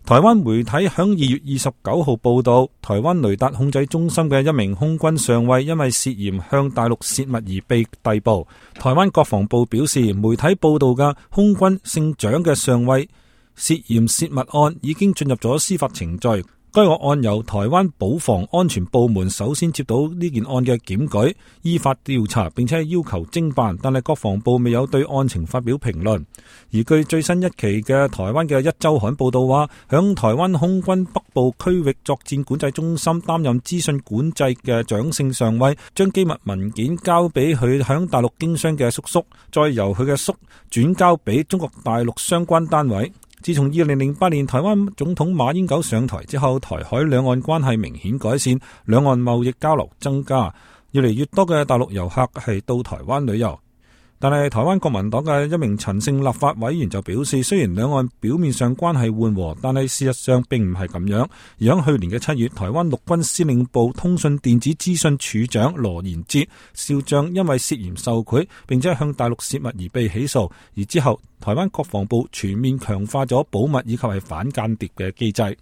台灣媒體響2月29號報道，台灣雷達控制中心嘅一名空軍上尉因為涉嫌向大陸洩密而被逮捕。台灣國防部表示，媒體報道嘅空軍姓蔣嘅上尉涉嫌洩密案已經進入咗司法程序。該個案由台灣保防安全部門首先接到呢件案嘅檢舉，依法調查，並且要求偵辦，但係國防部未有對案情發表評論。而據最新一期嘅台灣嘅一週刊報道話，響台灣空軍北部區域作戰管制中心擔任資訊管制嘅蔣姓上尉，將機密文件交俾佢響大陸經商嘅叔叔，再由佢嘅叔轉交俾中國大陸相關單位。自從2008年台灣總統馬英九上台之後，台海兩岸關係明顯改善，兩岸貿易交流增加，越嚟越多嘅大陸遊客係到台灣旅遊。但係台灣國民黨嘅一名陳姓立法委員就表示，雖然兩岸表面上關係緩和，但係事實上並唔係咁樣。而喺去年嘅7月，台灣陸軍司令部通訊電子資訊處長羅延哲少將因為涉嫌受賄並且向大陸洩密而被起訴，而之後台灣國防部全面強化咗保密以及係反間諜嘅機制。